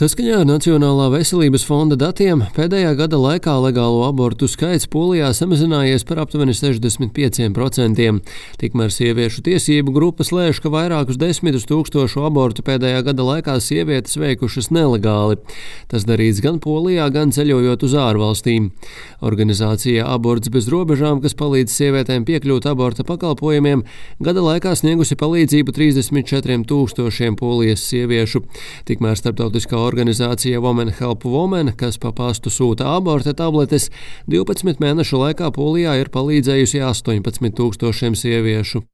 Saskaņā ar Nacionālā veselības fonda datiem pēdējā gada laikā legālo abortu skaits Polijā samazinājies par aptuveni 65%. Tikmēr sieviešu tiesību grupas lēš, ka vairākus desmitus tūkstošu abortu pēdējā gada laikā sievietes veikušas nelegāli. Tas darīts gan Polijā, gan ceļojot uz ārvalstīm. Organizācija Aborts bez robežām, kas palīdz sievietēm piekļūt aborta pakalpojumiem, gada laikā sniegusi palīdzību 34 000 polijas sieviešu. Tikmēr starptautiskā organizācija Women Help Women, kas pa pastu sūta aborta tabletes, 12 mēnešu laikā Polijā ir palīdzējusi 18 000 sieviešu.